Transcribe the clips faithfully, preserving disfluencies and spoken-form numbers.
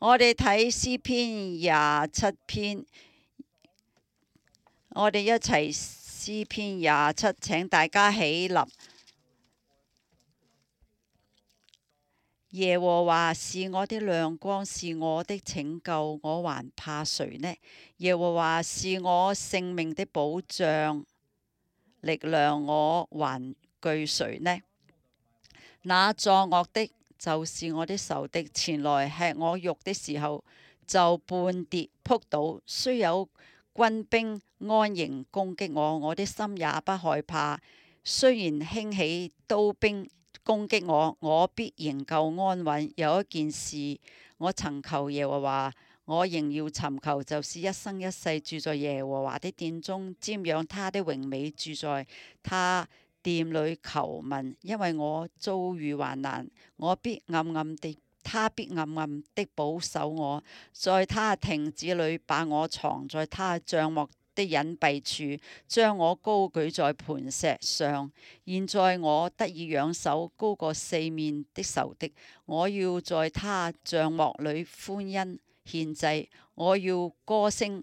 我哋睇詩篇廿七篇，我哋一齊詩篇廿七，請大家起立。耶和華是我的亮光，是我的拯救，我還怕誰呢？耶和華是我性命的保障，力量，我還懼誰呢？那作惡的，就是我的仇敵，前來吃我肉的時候，就半跌仆倒。雖有軍兵安營攻擊我，我的心也不害怕。雖然興起刀兵攻擊我，我必仍舊安穩。有一件事我曾求耶和華，我仍要尋求，就是一生一世住在耶和華的殿中，瞻仰他的榮美，住在他殿裏求問。因為我遭遇患難，我必暗暗地，他必暗暗的保守我，在他亭子裏把我藏在他帳幕的隱蔽處，將我高舉在磐石上。現在我得以仰首，高過四面的仇敵。我要在他帳幕裏歡欣獻祭，我要歌聲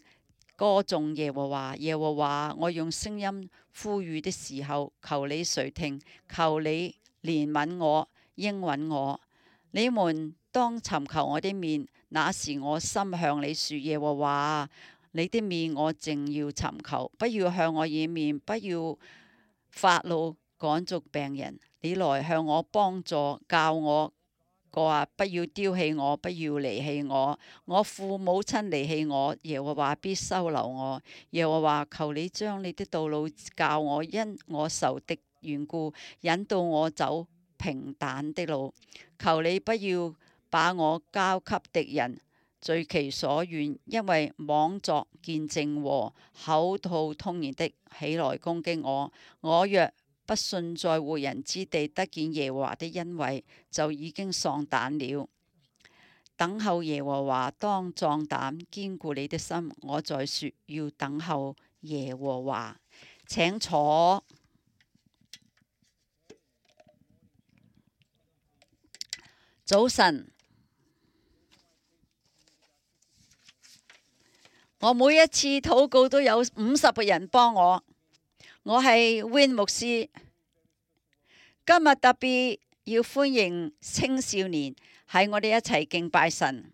歌頌耶和華。耶和華，我用聲音呼籲的時候，求你垂聽，求你憐憫我，應允我。你們當尋求我的面，那時我心向你說：耶和華，你的面我正要尋求，不要向我掩面，不要發怒趕逐病人。你來向我幫助，教我話不要丟棄我，不要離棄我。我父母親離棄我，耶和華必收留我。耶和華，求你將你的道路教我，因我仇敵緣故，引導我走平坦的路。求你不要把我交給敵人，隨其所願，因為妄作見證和口吐通言的起來攻擊我。我若不信在活人之地得見耶和華的恩惠，就已經喪膽了。等候耶和華，當壯膽，堅固你的心。我在說，要等候耶和華。請坐。早晨。我每一次禱告都有五十個人幫我。我係 Win 牧師，今日特別要歡迎青少年喺我哋一齊敬拜神。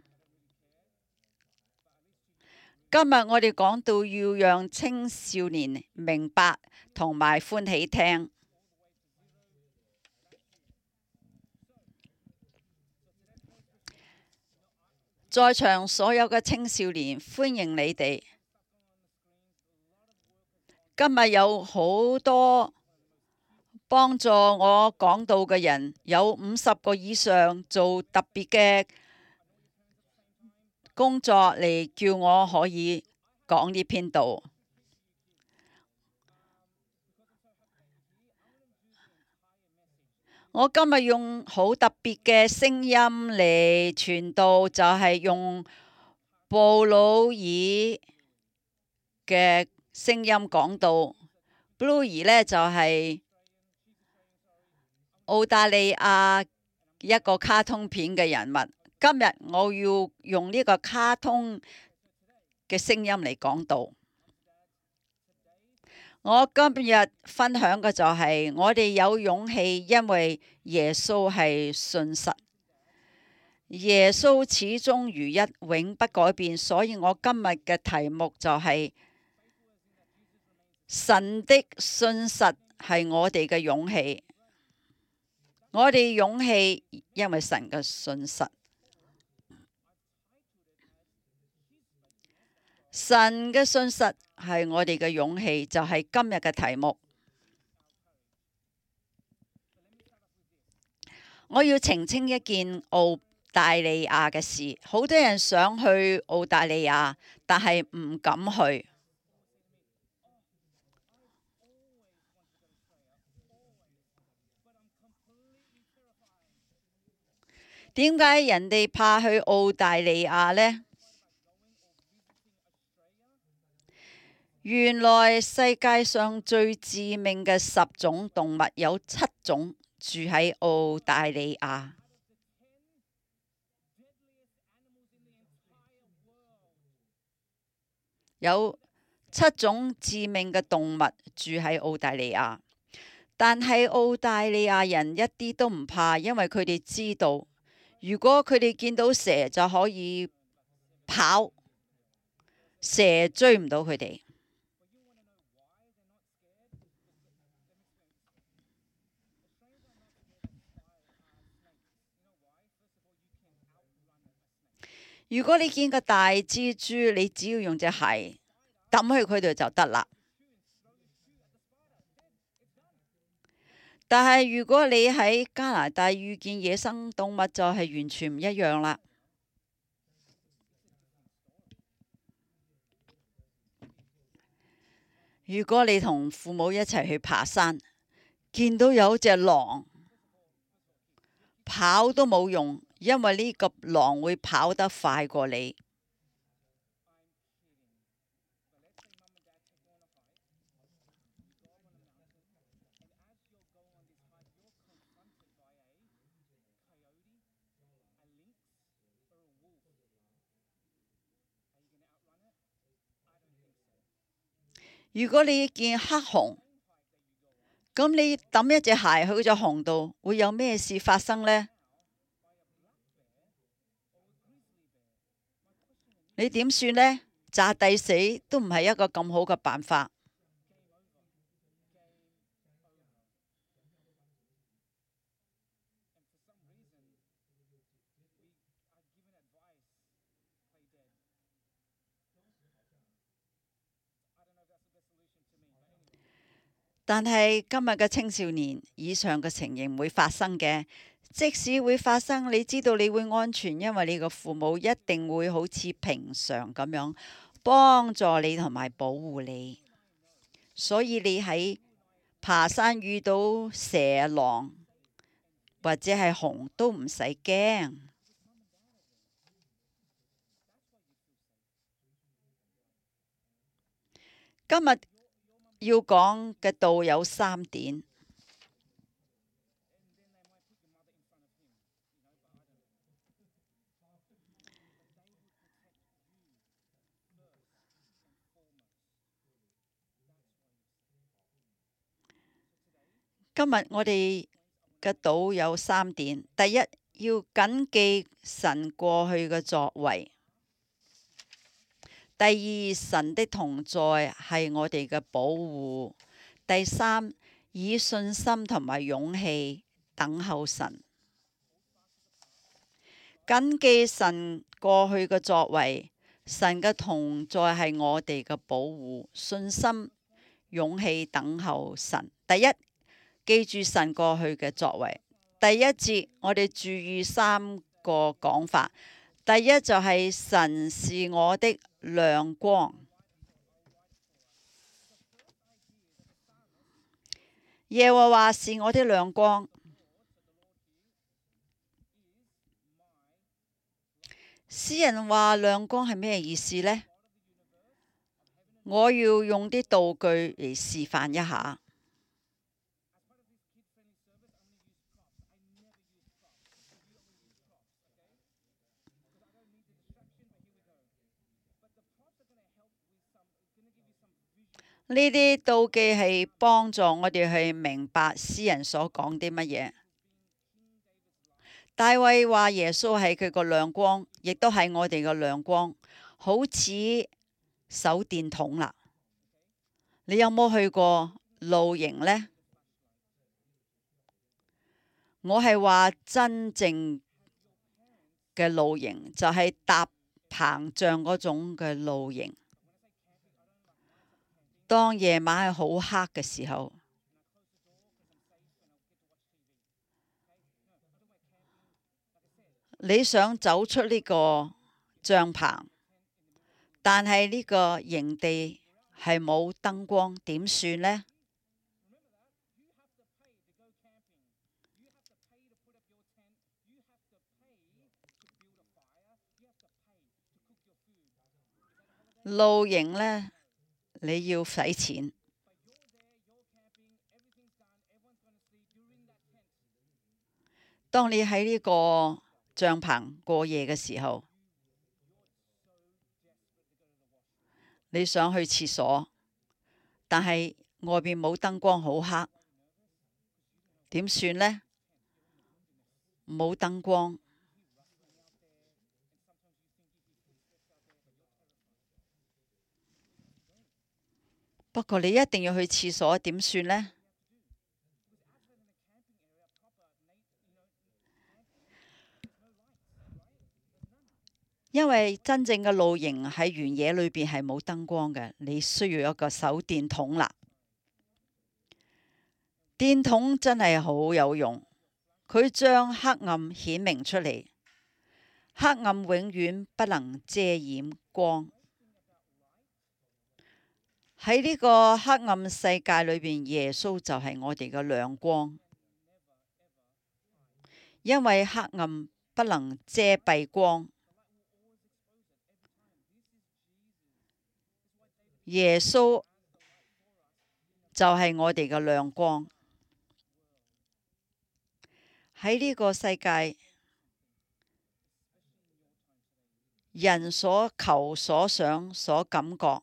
今日我哋講到要讓青少年明白同埋歡喜聽。在場所有嘅青少年，歡迎你哋。今日有好多幫助我講道嘅人，有五十個以上做特別嘅工作嚟叫我可以講呢篇道。我今日用好特別嘅聲音嚟傳道，就係用布魯爾嘅聲音講道。布魯爾呢，就係澳大利亞一個卡通片嘅人物。今日我要用呢個卡通嘅聲音嚟講道。我今日分享嘅就係我哋有勇氣，因為耶穌係信實，耶穌始終如一，永不改變。所以我今日嘅題目就係神的信實係我哋嘅勇氣。我哋勇氣，因為神嘅信實。神嘅信實係我哋嘅勇氣，就係今日嘅題目。我要澄清一件澳大利亞嘅事，好多人想去澳大利亞，但係唔敢去。點解人哋怕去澳大利亞呢？原來世界上最致命嘅十種動物有七種住喺澳大利亞。有七種致命嘅動物住喺澳大利亞，但係澳大利亞人一啲都唔怕，因為佢哋知道，如果佢哋見到蛇就可以跑，蛇追唔到佢哋。如果你見個大蜘蛛，你只要用隻鞋抌去佢度就得啦。但係如果你喺加拿大遇見野生動物，就係完全唔一樣啦。如果你同父母一齊去爬山，見到有隻狼，跑都冇用，因為呢個狼會跑得快過你。如果你見黑熊，咁你抌一隻鞋去隻熊度，會有咩事發生呢？你點算呢？炸地死都唔係一個咁好嘅辦法。但係今日嘅青少年，以上嘅情形唔會發生嘅。即使會發生，你知道你會安全，因為你個父母一定會好似平常咁樣幫助你同埋保護你。所以你喺爬山遇到蛇、狼或者係熊都唔使驚。今日要講嘅道有三點。今日我哋嘅道有三點。第一，要謹記神過去嘅作為。第二，神的同在係我哋嘅保護。第三，以信心同埋勇氣等候神。謹記神過去嘅作為，神嘅同在係我哋嘅保護。信心、勇氣等候神。第一，記住神過去嘅作為。第一節我哋注意三個講法。第一就係神是我的亮光。耶和華是我的亮光。詩人話亮光係咩意思呢？我要用啲道具嚟示範一下。呢啲道具係幫助我哋去明白詩人所講啲乜嘢。大衛話耶穌係佢個亮光，亦都係我哋個亮光，好似手電筒啦。你有冇去過露營呢？我係話真正嘅露營，就係搭棚帳嗰種嘅露營。當夜晚係好黑嘅時候，你想走出呢個帳棚，但係呢個營地係冇燈光，點算呢？露營呢，你要使錢。當你喺呢個帳篷過夜嘅時候，你想去廁所，但係外邊冇燈光，好黑，點算呢？冇燈光，不過你一定要去廁所，點算呢？因為真正嘅露營喺原野裏邊係冇燈光嘅，你需要一個手電筒啦。電筒真係好有用，佢將黑暗顯明出嚟。黑暗永遠不能遮掩光。喺呢個黑暗世界裏邊，耶穌就係我哋嘅亮光。因為黑暗不能遮蔽光，耶穌就係我哋嘅亮光。喺呢個世界，人所求所想所感覺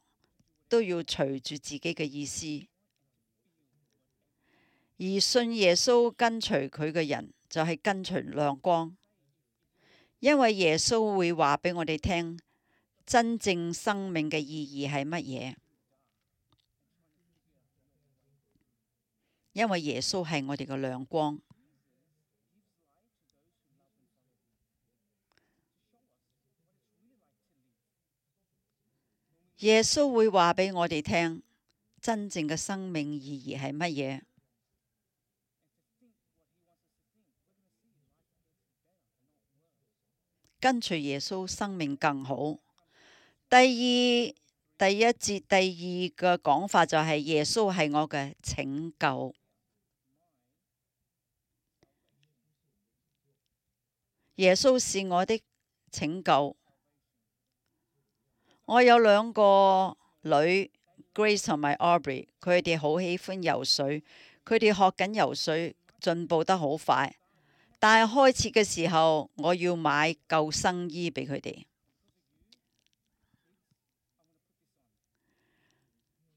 都要隨住自己嘅意思，而信耶穌跟隨佢嘅人就係跟隨亮光，因為耶穌會話俾我哋聽真正生命嘅意義係乜嘢。因為耶穌係我哋嘅亮光。耶穌會話俾我哋聽真正嘅生命意義係乜嘢。跟隨耶穌，生命更好。第二，第一節第二個講法就係耶穌係我嘅拯救。耶穌是我的拯救。我有兩個女 Grace 同埋 Aubrey， 佢哋好喜歡游水，佢哋學緊游水，進步得好快。但係開始嘅時候，我要買救生衣俾佢哋。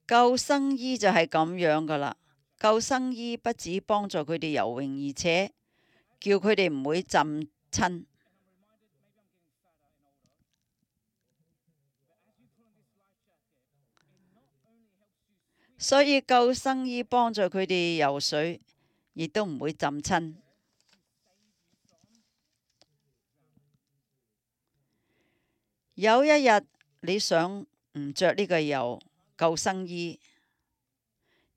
救生衣就係咁樣噶啦。救生衣不止幫助佢哋游泳，而且叫佢哋唔會浸親。所以救生衣幫助佢哋游水，亦都唔會浸親。有一日你想唔着呢個游救生衣，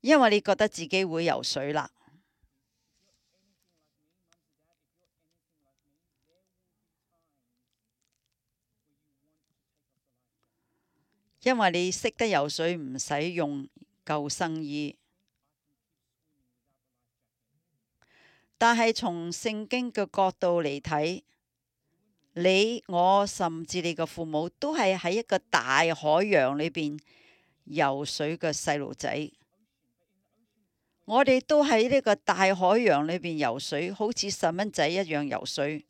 因為你覺得自己會游水啦。因為你識得游水，唔使用救生衣。但係從聖經嘅角度嚟睇，你我甚至你嘅父母都係喺一個大海洋裏邊游水嘅細路仔。我哋都喺呢個大海洋裏邊游水，好似細蚊仔一樣游水。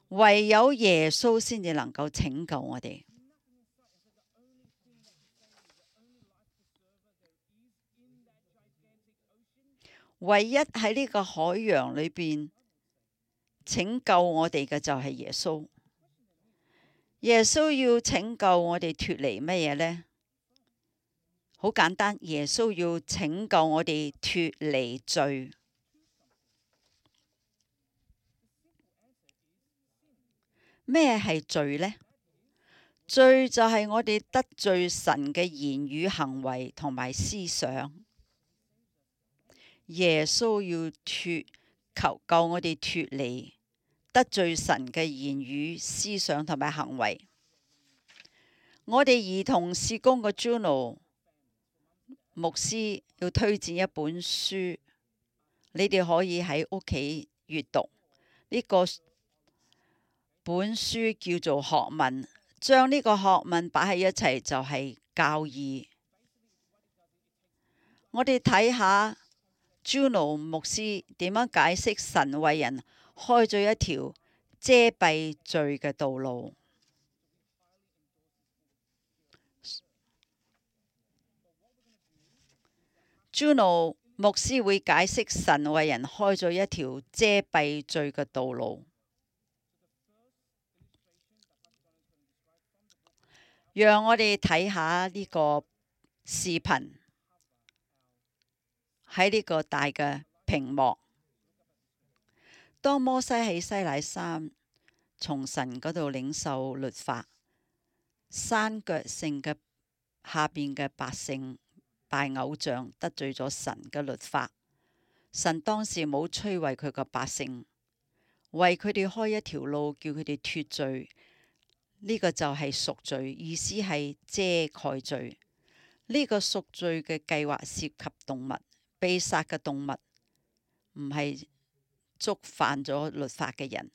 唯有耶穌先至能夠拯救我哋。唯一喺呢個海洋裏邊拯救我哋嘅就係耶穌。耶穌要拯救我哋脫離乜嘢呢？好簡單，耶穌要拯救我哋脫離罪。咩係罪呢？罪就係我哋得罪神嘅言語、行為同埋思想。耶穌要脫求救我哋脫離得罪神嘅言語、思想同埋行為。我哋兒童事工嘅 Juno 牧師要推薦一本書，你哋可以喺屋企閱讀。呢個本書叫做學問，將呢個學問擺喺一齊就係教義。我哋睇下 Juno 牧師點樣解釋神為人開咗一條遮蔽罪嘅道路。Juno 牧師會解釋神為人開咗一條遮蔽罪嘅道路。讓我哋睇下呢個視頻喺呢個大嘅屏幕。當摩西喺西乃山從神嗰度領受律法，山腳性嘅下邊嘅百姓拜偶像，得罪咗神嘅律法。神當時冇摧毀佢個百姓，為佢哋開一條路，叫佢哋脫罪。呢、這個就係贖罪，意思係遮蓋罪。呢、這個贖罪嘅計劃涉及動物，被殺嘅動物唔係觸犯咗律法嘅人。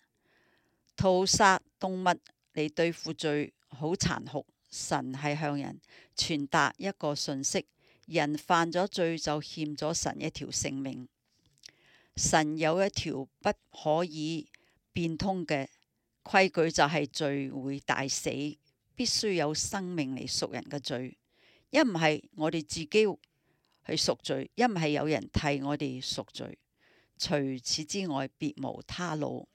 屠殺動物嚟對付罪好殘酷。神係向人傳達一個訊息：人犯咗罪就欠咗神一條性命。神有一條不可以變通嘅規矩，就係罪會大死，必須有生命嚟贖人嘅罪。一唔係我哋自己去贖罪，一唔係有人替我哋贖罪。除此之外，別無他路。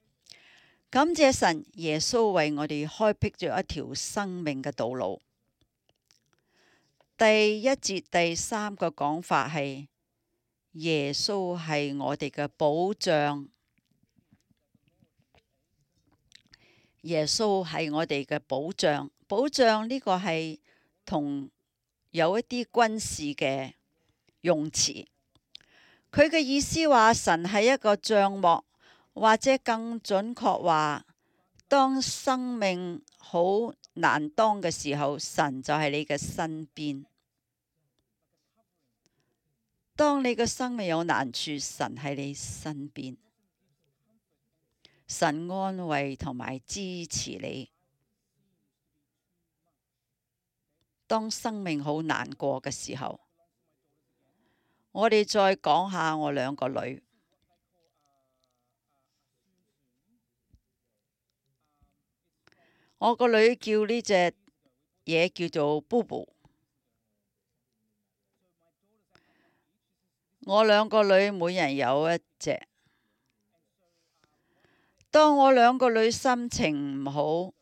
感謝神，耶穌為我哋開闢咗一條生命嘅道路。第一節第三個講法係耶穌係我哋嘅保障。耶穌係我哋嘅保障。保障呢個係同有一啲軍事嘅用詞。佢嘅意思話神係一個帳幕，或者更準確話，當生命好難當嘅時候，神就係你嘅身邊。當你嘅生命有難處，神喺你身邊，神安慰同埋支持你。當生命好難過嘅時候，我哋再講下我兩個女。我個女叫呢隻嘢叫做 Bobo。我兩個女每人有一隻。當我兩個女心情唔好、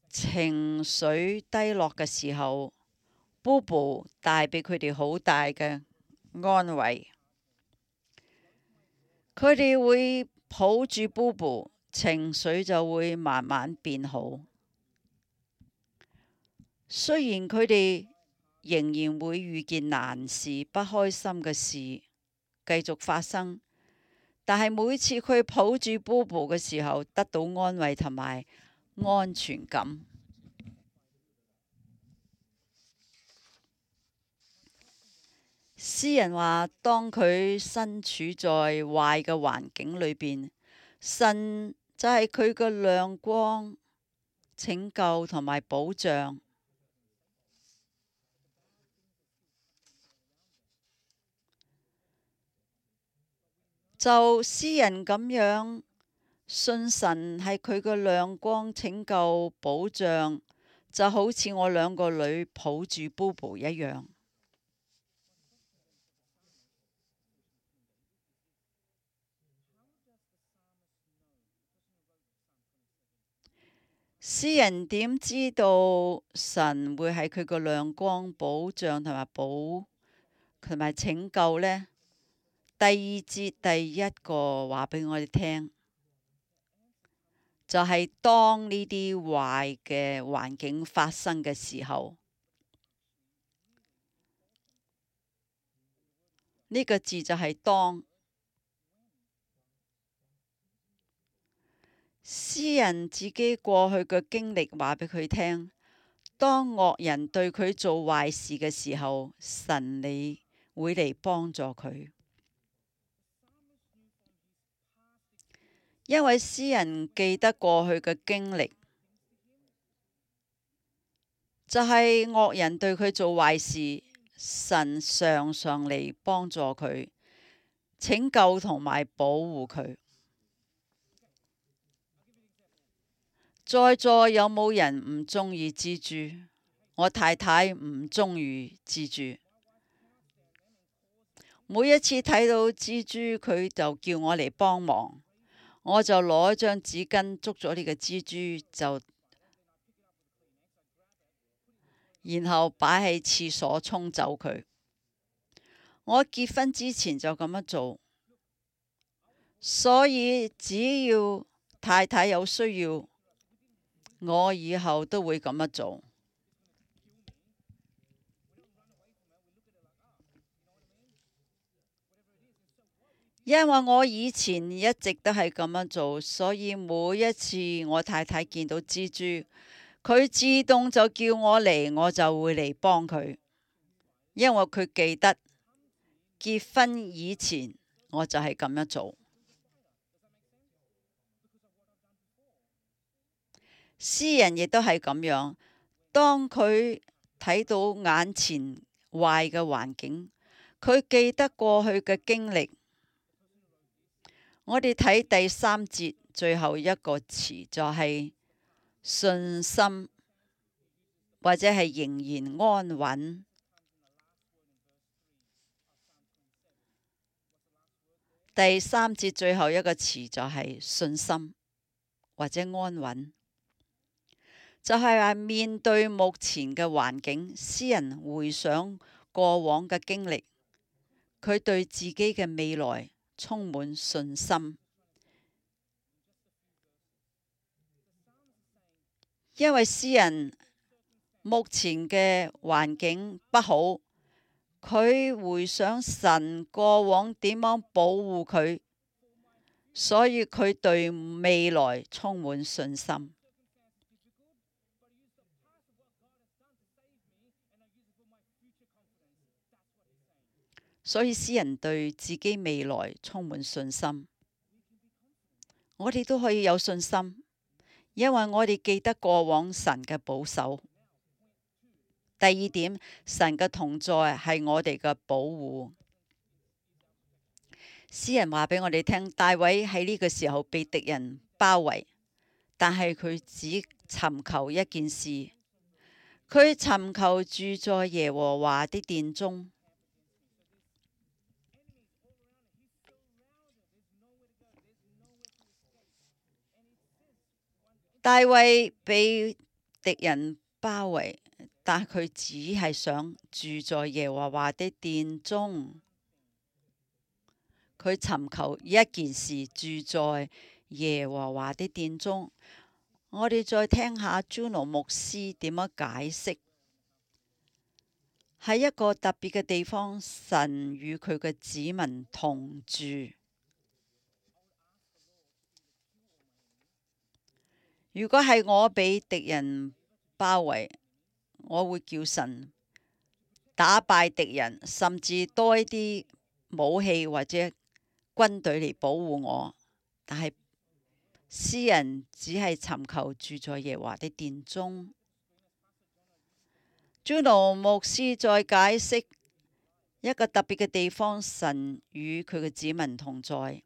情緒低落嘅時候，Bobo帶俾佢哋好大嘅安慰。佢哋會抱住 Bobo，情緒就會慢慢變好。雖然佢哋仍然會遇見難事、不開心嘅事繼續發生，但係每次佢抱住 Bobo 嘅時候，得到安慰同埋安全感。詩人話：當佢身處在壞嘅環境裏邊，神就係佢嘅亮光、拯救同埋保障。就詩人咁樣信神係佢嘅亮光、拯救、保障，就好似我兩個女抱住 Bobo 一樣。詩人點知道神會係佢個亮光、保障同埋保同埋拯救呢？第二節第一個話俾我哋聽，就係、是、當呢啲壞嘅環境發生嘅時候，呢、這個字就係當。詩人自己過去嘅經歷話俾佢聽，當惡人對佢做壞事嘅時候，神你會嚟幫助佢。因為詩人記得過去嘅經歷，就係、是、惡人對佢做壞事，神常常嚟幫助佢，拯救同埋保護佢。在座有冇人唔中意蜘蛛？我太太唔中意蜘蛛。每一次睇到蜘蛛，佢就叫我嚟幫忙，我就攞張紙巾捉咗呢個蜘蛛，就然後擺喺廁所沖走佢。我結婚之前就咁樣做，所以只要太太有需要，我以後都會咁樣做。因為我以前一直都係咁樣做，所以每一次我太太見到蜘蛛，佢自動就叫我嚟，我就會嚟幫佢。因為佢記得結婚以前我就係咁樣做。詩人亦都係咁樣，當佢睇到眼前壞嘅環境，佢記得過去嘅經歷。我哋睇第三節最後一個詞就係信心，或者係仍然安穩。第三節最後一個詞就係信心，或者安穩，就係話面對目前嘅環境，詩人回想過往嘅經歷，佢對自己嘅未來充滿信心。因為詩人目前嘅環境不好，佢回想神過往點樣保護佢，所以佢對未來充滿信心。所以詩人對自己未來充滿信心，我哋都可以有信心，因為我哋記得過往神嘅保守。第二點，神嘅同在係我哋嘅保護。詩人話俾我哋聽，大衛喺呢個時候被敵人包圍，但係佢只尋求一件事，佢尋求住在耶和華的殿中。大衛被敵人包圍，但佢只係想住在耶和華的殿中。佢尋求一件事，住在耶和華的殿中。我哋再聽下 Juno 牧師點樣解釋。喺一個特別嘅地方，神與佢嘅子民同住。如果係我俾敵人包圍，我會叫神打敗敵人，甚至多一啲武器或者軍隊嚟保護我。但係詩人只係尋求住在耶和華的殿中。Juno 牧師再解釋一個特別嘅地方，神與佢嘅子民同在。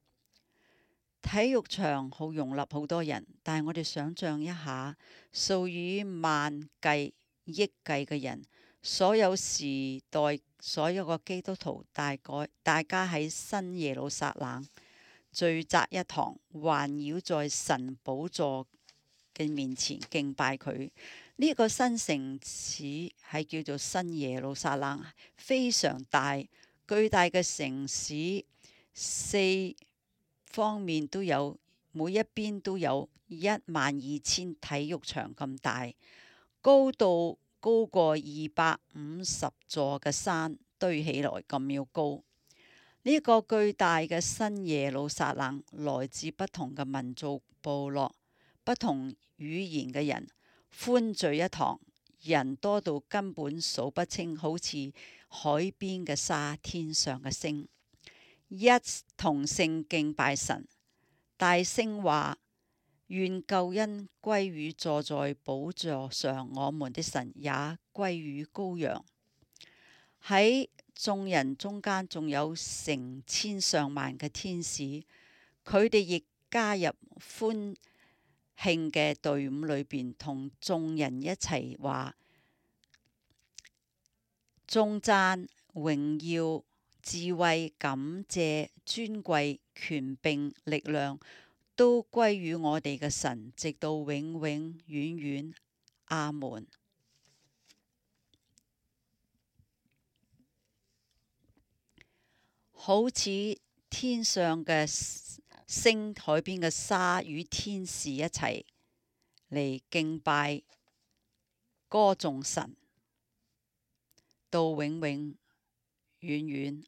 體育場好容納好多人，但係我哋想象一下，數以萬計、億計嘅人，所有時代所有個基督徒，大概大家喺新耶路撒冷聚集一堂，環繞在神寶座嘅面前敬拜佢。呢、這個新城市係叫做新耶路撒冷，非常大、巨大嘅城市，四方面都有，每一邊都有一萬二千體育場咁大，高度高過二百五十座嘅山堆起來咁要高。呢、這個巨大嘅新耶路撒冷，來自不同嘅民族部落、不同語言嘅人歡聚一堂，人多到根本數不清，好似海邊嘅沙、天上嘅星。一同性敬拜神，大聲話：願救恩歸於坐在寶座上我們的神，也歸於羔羊。喺眾人中間仲有成千上萬嘅天使，佢哋亦加入歡慶嘅隊伍裏邊，同眾人一齊話：頌讚、榮耀、智慧、感謝、尊貴、權柄、力量，都歸於我哋嘅神，直到永永遠遠。阿門。好似天上嘅星，海邊嘅沙，與天使一齊嚟敬拜、歌頌神，到永永遠遠。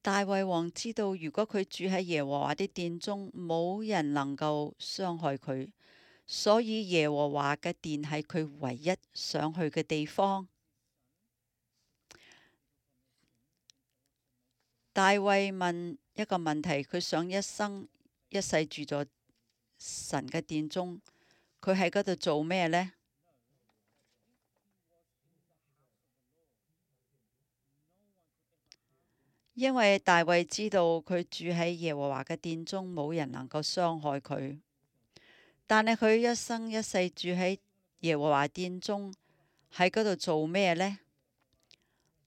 大衛王知道，如果佢住喺耶和華的殿中，冇人能夠傷害佢，所以耶和華嘅殿係佢唯一想去嘅地方。大衛問一個問題，佢想一生一世住在神嘅殿中，佢喺嗰度做咩呢？因為大衛知道佢住喺耶和華嘅殿中，冇人能夠傷害佢。但係佢一生一世住喺耶和華殿中，喺嗰度做咩呢？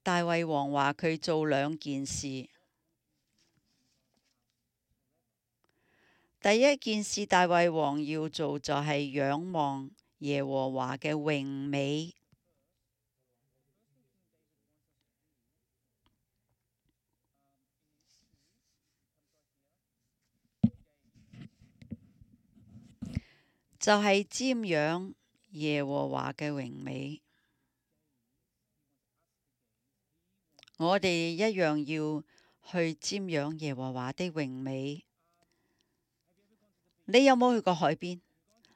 大衛王話佢做兩件事。第一件事，大衛王要做就係仰望耶和華嘅榮美。就係瞻仰耶和華嘅榮美，我哋一樣要去瞻仰耶和華的榮美。你有冇去過海邊？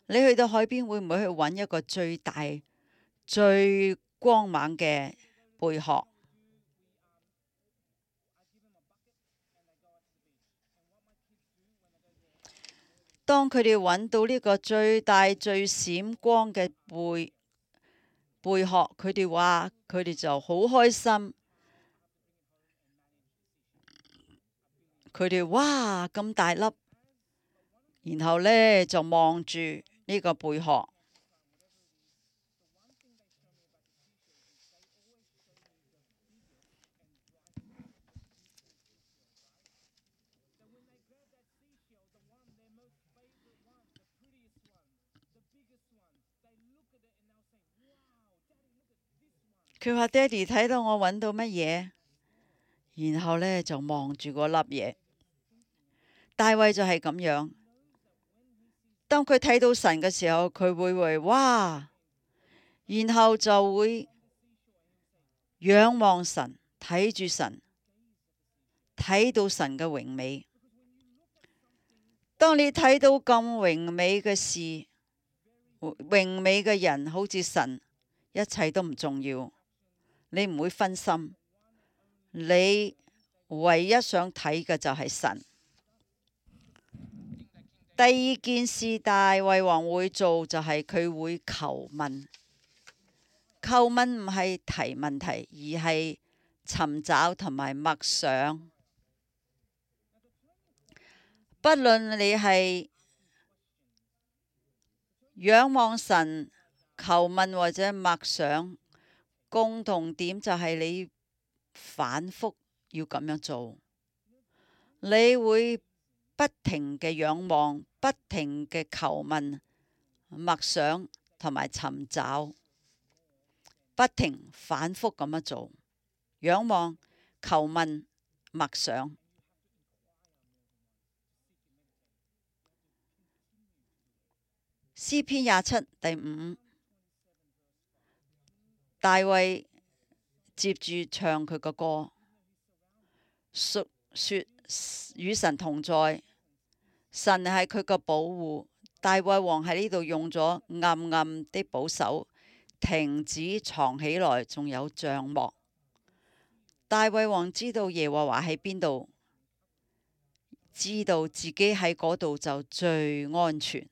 你去到海邊會唔會去揾一個最大、最光猛嘅貝殼？當佢哋揾到呢個最大最閃光嘅貝貝殼，佢哋話佢哋就好開心。佢哋哇咁大粒，然後呢，就望住呢個貝殼。佢話：爹哋睇到我揾到乜嘢？然後呢，就望住嗰粒嘢。大衛就係咁樣。當佢睇到神嘅時候，佢會會哇，然後就會仰望神，睇住神，睇到神嘅榮美。當你睇到咁榮美嘅事，榮美嘅人，好似神，一切都唔重要，你唔會分心，你唯一想睇嘅就係神。第二件事大衛王會做就係佢會求問。求問唔係提問題，而係尋找同埋默想。不論你係仰望神、求問或者默想，共同點就係你反覆要咁樣做。你會不停嘅仰望，不停嘅求問、默想同埋尋找，不停反覆咁樣做。仰望、求問、默想。詩篇廿七第五，大衛接住唱佢個歌，述說與神同在，神係佢個保護。大衛王喺呢度用咗暗暗的保守，亭子藏起來，仲有帳幕。大衛王知道耶和華喺邊度，知道自己喺嗰度就最安全。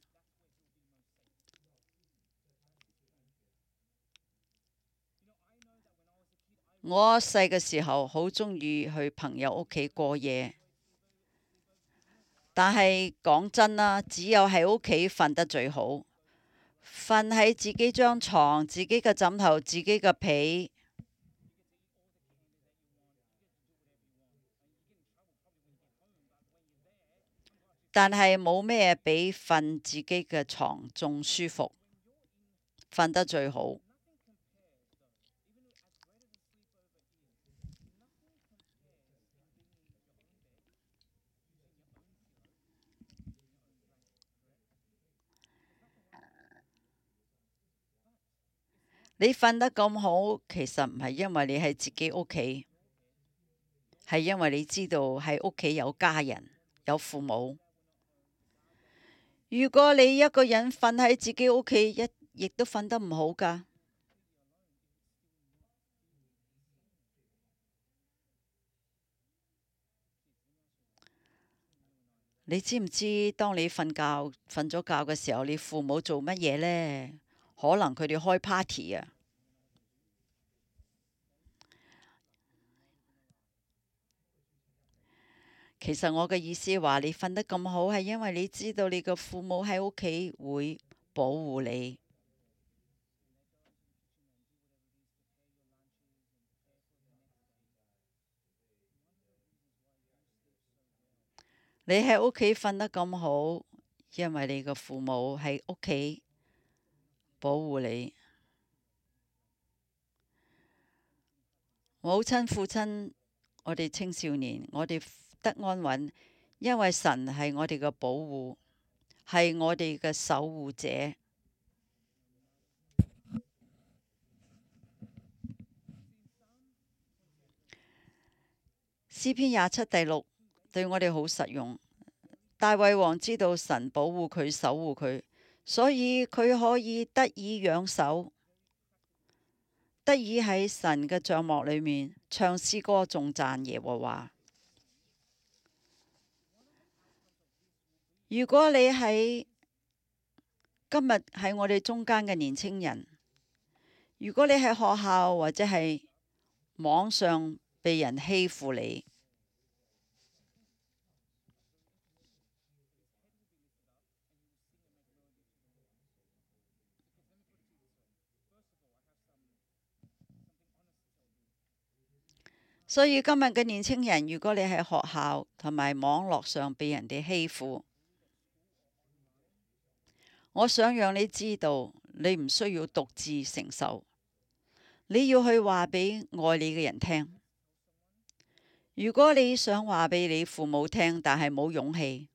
我細嘅時候好鍾意去朋友屋企過夜，但係講真啦，只有喺屋企瞓得最好。瞓喺自己張床，自己嘅枕頭，自己嘅被。但係冇咩比瞓自己嘅床仲舒服，瞓得最好。你瞓得咁好，其實唔係因為你喺自己屋企，係因為你知道喺屋企有家人，有父母。如果你一個人瞓喺自己屋企，一亦都瞓得唔好㗎。你知唔知當你瞓覺瞓咗覺嘅時候，你父母做乜嘢呢？可能佢哋開 party 啊！其實我嘅意思話，你瞓得咁好，係因為你知道你嘅父母喺屋企會保護你。你喺屋企瞓得咁好，因為你嘅父母喺屋企保護你。母親、父親，我哋青少年，我哋得安穩，因為神係我哋嘅保護，係我哋嘅守護者。詩篇廿七第六對我哋好實用。大衛王知道神保護佢、守護佢，所以佢可以得以養手，得以喺神嘅帳幕裏面唱詩歌頌讚耶和華。如果你喺今日喺我哋中間嘅年青人，如果你喺學校或者係網上被人欺負你，所以今日嘅年青人，如果你喺學校同埋網絡上被人哋欺負，我想讓你知道，你唔需要獨自承受，你要去話俾愛你嘅人聽。如果你想話俾你父母聽，但係冇勇氣，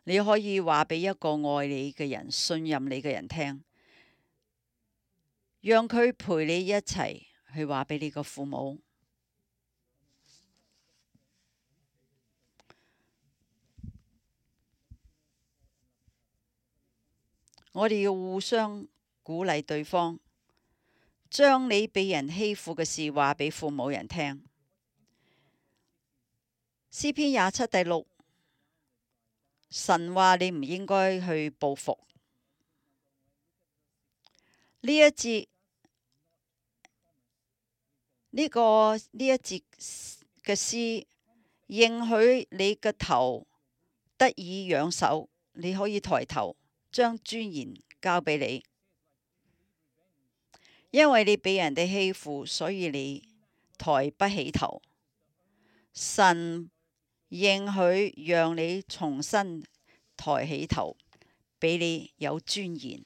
你可以話俾一個愛你嘅人、信任你嘅人聽，讓佢陪你一齊去話俾你個父母。我哋要互相鼓勵對方，將你被人欺負嘅事話俾父母人聽。詩篇廿七第六，神話你唔應該去報復。呢一節呢、這個呢一節嘅詩，應許你嘅頭得以仰首，你可以抬頭，將尊嚴交俾你。因為你俾人哋欺負，所以你抬不起頭。神應許讓你重新抬起頭，俾你有尊嚴。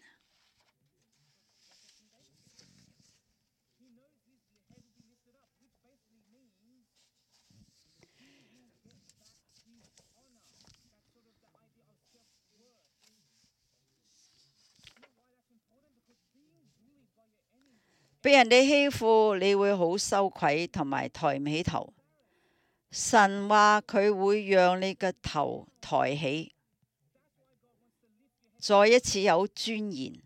俾人哋欺負，你會好羞愧同埋抬唔起頭。神話佢會讓你嘅頭抬起，再一次有尊嚴。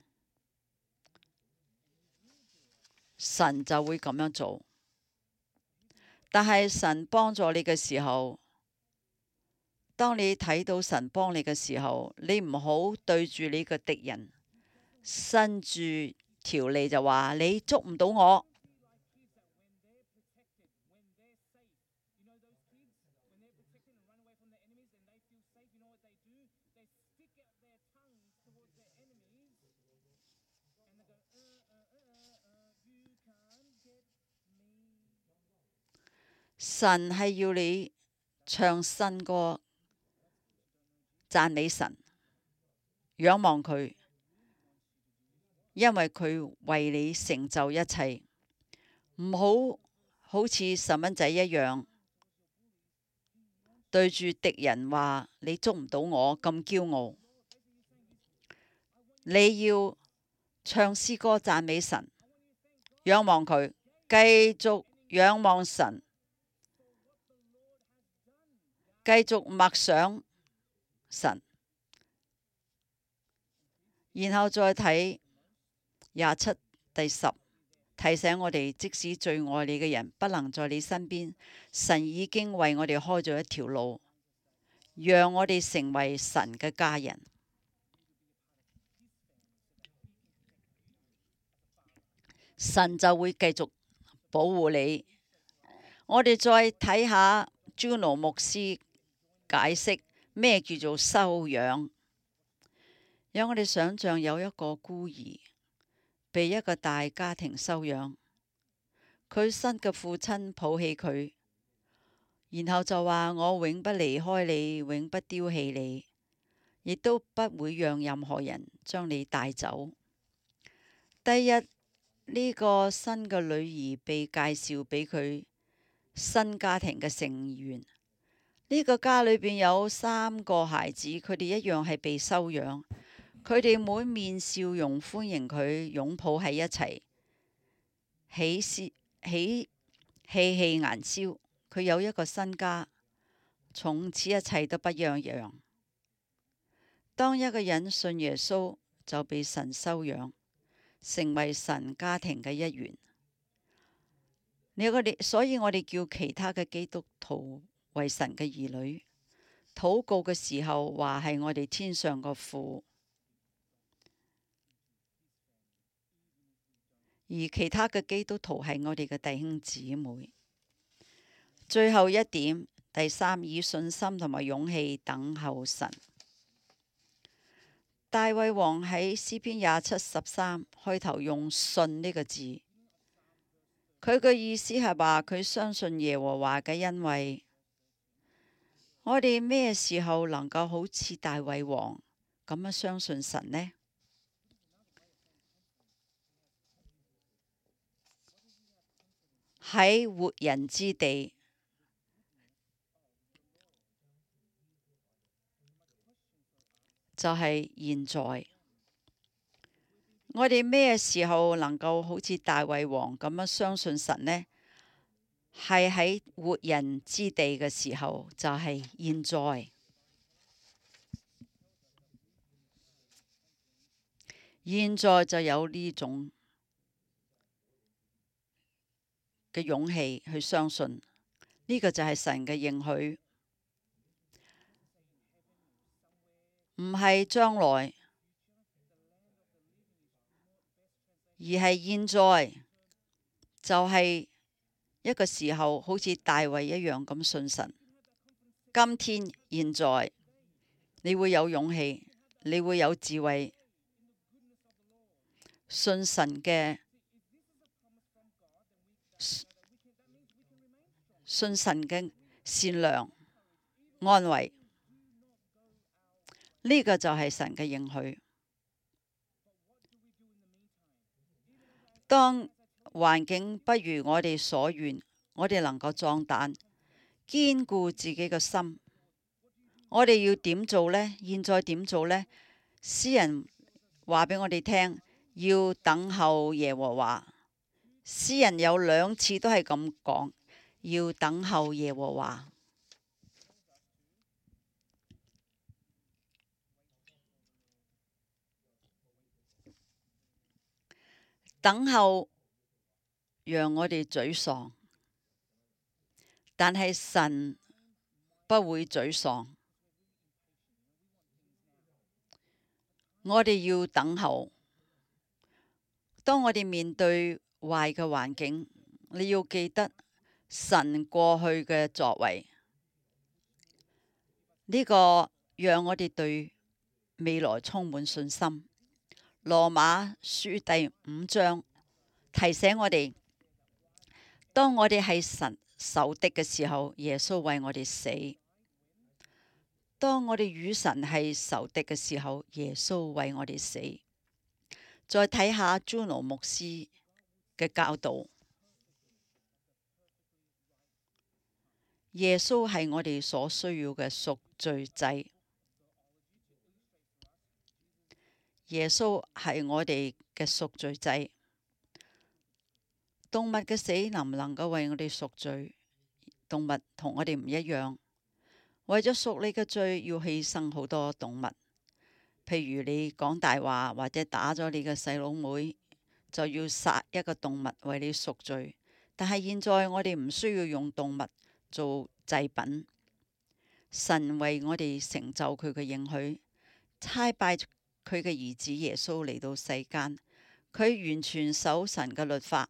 神就會咁樣做。但係神幫助你嘅時候，當你睇到神幫你嘅時候，你唔好對住你嘅敵人伸住條脷就話你捉唔到我。神係要你唱新歌，讚美神，仰望佢，因為佢為你成就一切。唔好好似細蚊仔一樣，對住敵人話你捉唔到我咁驕傲。你要唱詩歌讚美神，仰望佢，繼續仰望神，繼續默想神，然後再睇廿七第十，提醒我哋，即使最愛你嘅人不能在你身邊，神已經為我哋開咗一條路，讓我哋成為神嘅家人。神就會繼續保護你。我哋再睇下 Juno 牧師解釋咩叫做收養。讓我哋想象有一個孤兒被一個大家庭收養，佢新嘅父親抱起佢，然後就話我永不離開你，永不丟棄你，亦都不會讓任何人將你帶走。第一，呢個新嘅女兒被介紹俾佢新家庭嘅成員。呢個家裏邊有三個孩子，佢哋一樣係被收養。佢哋滿面笑容歡迎佢，擁抱喺一齊，喜喜喜氣氣顏燒。佢有一個新家，從此一切都不一樣。當一個人信耶穌，就被神收養，成為神家庭嘅一員。你我哋，所以我哋叫其他嘅基督徒為神嘅兒女。禱告嘅時候話係我哋天上個父，而其他嘅基督徒係我哋嘅弟兄姊妹。最後一點，第三，以信心同埋勇氣等候神。大衛王喺詩篇廿七十三開頭用信呢個字，佢嘅意思係話佢相信耶和華嘅恩惠。我哋咩時候能夠好似大衛王咁樣相信神呢？喺活人之地，就係現在。我哋咩時候能夠好似大衛王咁樣相信神呢？係喺活人之地嘅時候，就係現在。現在就有呢種嘅勇氣去相信，呢個就係神嘅應許，唔係將來，而係現在，就係一個時候，好似大衛一樣咁信神。今天現在，你會有勇氣，你會有智慧，信神嘅信神嘅善良安慰，呢個就係神嘅應許。當環境不如我哋所願，我哋能夠壯膽，堅固自己嘅心。我哋要點做呢？現在點做呢？詩人話俾我哋聽，要等候耶和華。詩人有兩次都係咁講，要等候耶和華。等候讓我哋沮喪，但係神不會沮喪。我哋要等候。當我哋面對壞嘅環境，你要記得神過去嘅作為，呢個讓我哋對未來充滿信心。羅馬書第五章提醒我哋，當我哋係神仇敵嘅時候，耶穌為我哋死；當我哋與神係仇敵嘅時候，耶穌為我哋死。再睇下朱奴牧師嘅教導，耶穌係我哋所需要嘅贖罪祭。耶穌係我哋嘅贖罪祭。動物嘅死能唔能夠為我哋贖罪？動物同我哋唔一樣，為咗贖你嘅罪，要犧牲好多動物。譬如你講大話或者打咗你嘅細佬妹，就要殺一個動物為你贖罪。但係現在我哋唔需要用動物做祭品，神為我哋成就佢嘅應許，差派佢嘅兒子耶穌嚟到世間，佢完全守神嘅律法。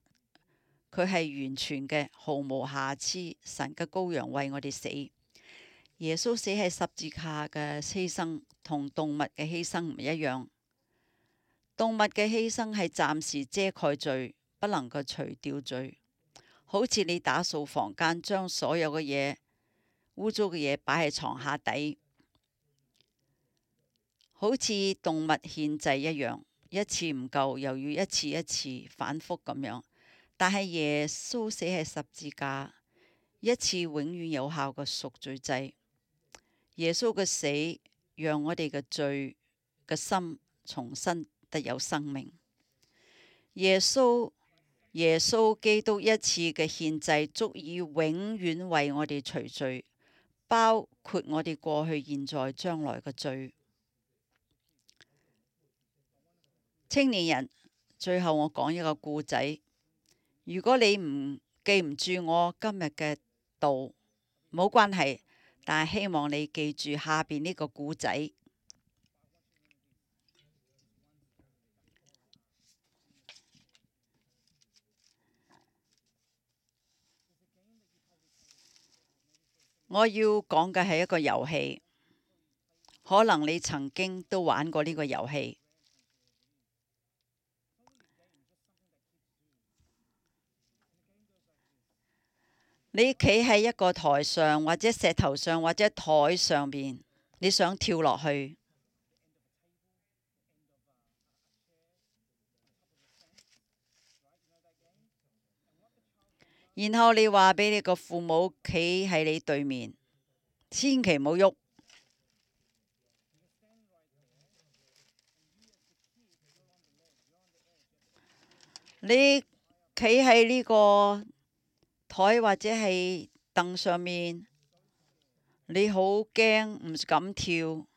佢係完全嘅，毫無瑕疵。神嘅羔羊為我哋死。耶穌死喺十字架嘅犧牲同動物嘅犧牲唔一樣。動物嘅犧牲係暫時遮蓋罪，不能夠除掉罪。好似你打掃房間，將所有嘅嘢污糟嘅嘢擺喺床下底，好似動物獻祭一樣，一次唔夠，又要一次一次反覆咁樣。但係耶穌死喺十字架，一次永遠有效嘅贖罪祭。耶穌嘅死讓我哋嘅罪嘅心重新得有生命。耶穌耶穌基督一次嘅獻祭足以永遠為我哋除罪，包括我哋過去、現在、將來嘅罪。青年人，最後我講一個故仔。如果你唔記唔住我今日嘅道，冇關係，但係希望你記住下邊呢個故仔。我要講嘅係一個遊戲，可能你曾經都玩過呢個遊戲。你企喺一個台上，或者石頭上，或者台上邊，你想跳落去，然後你話俾你個父母企喺你對面，千祈唔好喐。你企喺呢個台或者係凳上面，你好驚，唔敢跳，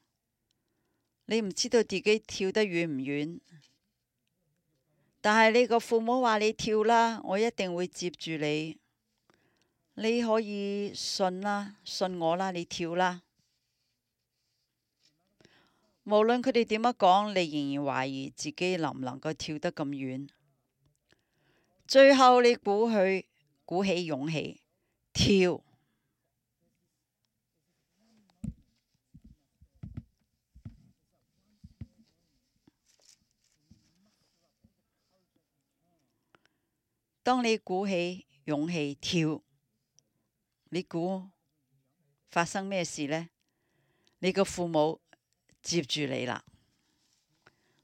你唔知道自己跳得遠唔遠。但係你個父母話你跳啦，我一定會接住你。你可以信啦，信我啦，你跳啦。無論佢哋點樣講，你仍然懷疑自己能唔能夠跳得咁遠。最後你鼓起鼓起勇氣跳。當你鼓起勇氣跳，你估發生咩事呢？你個父母接住你啦，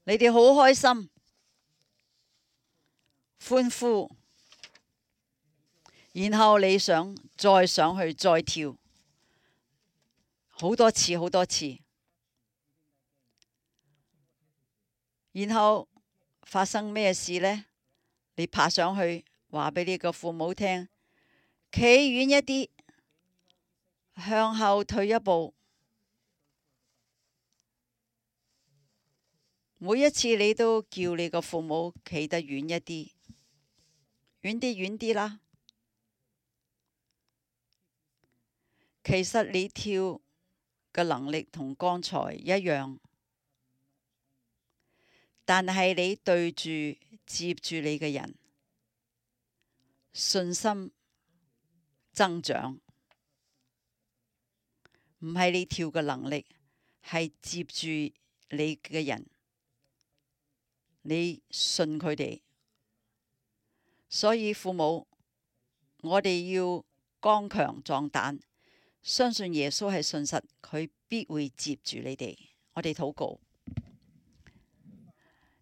你哋好開心，歡呼，然後你想再上去再跳，好多次好多次，然後發生咩事呢？你爬上去，話俾你個父母聽，企遠一啲，向後退一步。每一次你都叫你個父母企得遠一啲，遠啲遠啲啦。其實你跳嘅能力同剛才一樣，但係你對住接住你嘅人，信心增長，唔係你跳嘅能力，係接住你嘅人，你信佢哋。所以父母，我哋要剛強壯膽，相信耶穌係信實，佢必會接住你哋。我哋禱告。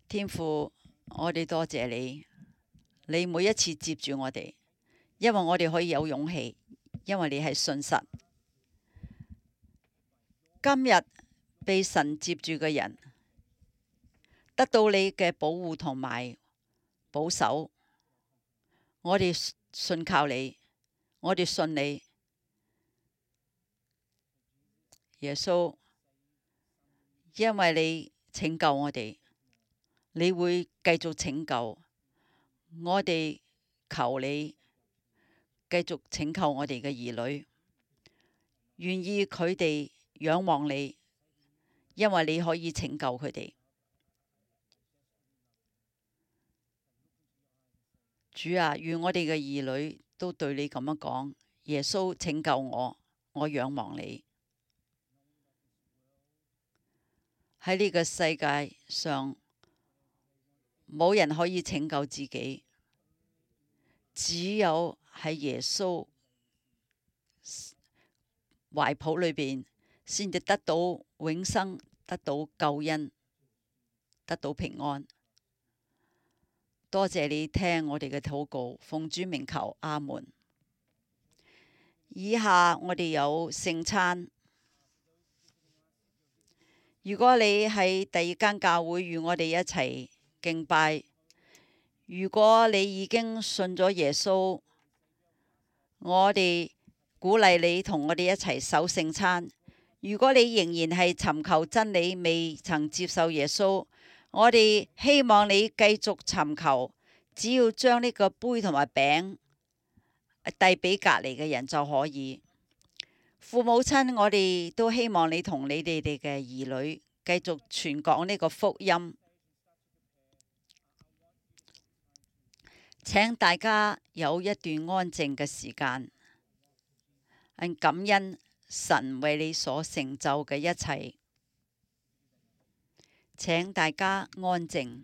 天父，我哋多謝你，你每一次接住我哋，因為我哋可以有勇氣，因為你係信實。今日被神接住嘅人，得到你嘅保護同埋保守，我哋信靠你，我哋信你，耶穌，因為你拯救我哋，你會繼續拯救我哋，求你繼續拯救我哋嘅兒女，願意佢哋仰望你，因為你可以拯救佢哋。主啊，願我哋嘅兒女都對你咁樣講：耶穌拯救我，我仰望你。喺呢個世界上，冇人可以拯救自己，只有喺耶穌懷抱裏邊，先至得到永生，得到救恩，得到平安。多謝你聽我哋嘅禱告，奉主名求，阿門。以下我哋有聖餐。如果你喺第二間教會與我哋一齊敬拜，如果你已經信咗耶穌，我哋鼓勵你同我哋一齊守聖餐。如果你仍然係尋求真理，未曾接受耶穌，我哋希望你繼續尋求，只要將呢個杯同埋餅遞俾隔離嘅人就可以。父母親，我哋都希望你同你哋哋嘅兒女繼續傳講呢個福音。請大家有一段安靜嘅時間，感恩神為你所成就嘅一切。請大家安靜。